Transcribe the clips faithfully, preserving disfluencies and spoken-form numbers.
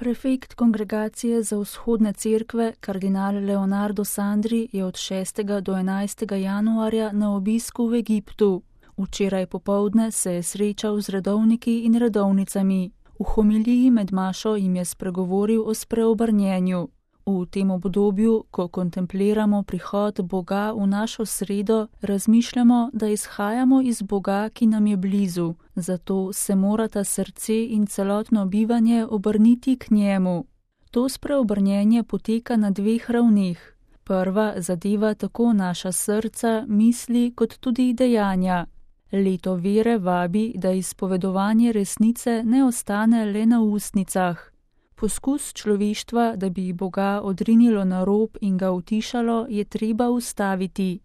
Prefekt Kongregacije za vzhodne cerkve, kardinal Leonardo Sandri, je od šestega do enajstega januarja na obisku v Egiptu. Včeraj popoldne se je srečal z redovniki in redovnicami. V homiliji med mašo jim je spregovoril o spreobrnjenju. V tem obdobju, ko kontempliramo prihod Boga v našo sredo, razmišljamo, da izhajamo iz Boga, ki nam je blizu, zato se morata srce in celotno bivanje obrniti k njemu. To spreobrnjenje poteka na dveh ravneh. Prva zadeva tako naša srca, misli kot tudi dejanja. Leto vere vabi, da izpovedovanje resnice ne ostane le na ustnicah. Poskus človeštva, da bi Boga odrinilo na rob in ga utišalo, je treba ustaviti.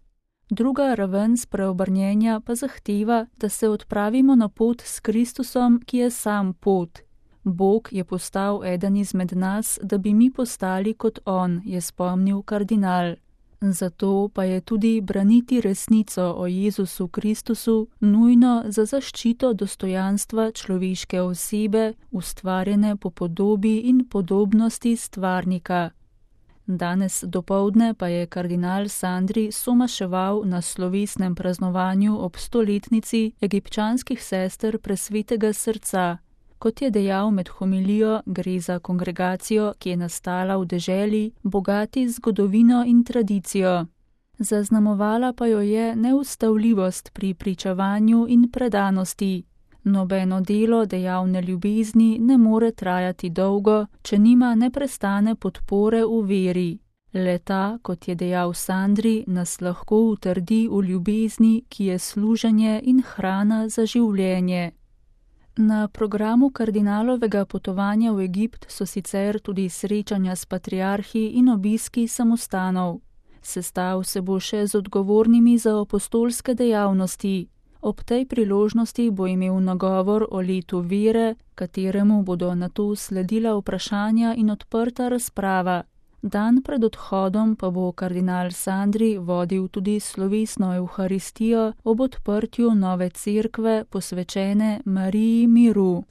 Druga raven spreobrnjenja pa zahteva, da se odpravimo na pot s Kristusom, ki je sam pot. Bog je postal eden izmed nas, da bi mi postali kot On, je spomnil kardinal. Zato pa je tudi braniti resnico o Jezusu Kristusu nujno za zaščito dostojanstva človeške osebe, ustvarjene po podobi in podobnosti stvarnika. Danes dopoldne pa je kardinal Sandri somaševal na slovesnem praznovanju ob stoletnici egipčanskih sester Presvetega srca. Kot je dejal med homilijo, gre za kongregacijo, ki je nastala v deželi, bogati zgodovino in tradicijo. Zaznamovala pa jo je neustavljivost pri pričevanju in predanosti. Nobeno delo dejavne ljubezni ne more trajati dolgo, če nima neprestane podpore v veri. Le-ta, kot je dejal Sandri, nas lahko utrdi v ljubezni, ki je služenje in hrana za življenje. Na programu kardinalovega potovanja v Egipt so sicer tudi srečanja s patriarhi in obiski samostanov. Sestav se bo še z odgovornimi za apostolske dejavnosti. Ob tej priložnosti bo imel nagovor o letu vere, kateremu bodo nato sledila vprašanja in odprta razprava. Dan pred odhodom pa bo kardinal Sandri vodil tudi slovesno evharistijo ob odprtju nove cerkve posvečene Mariji miru.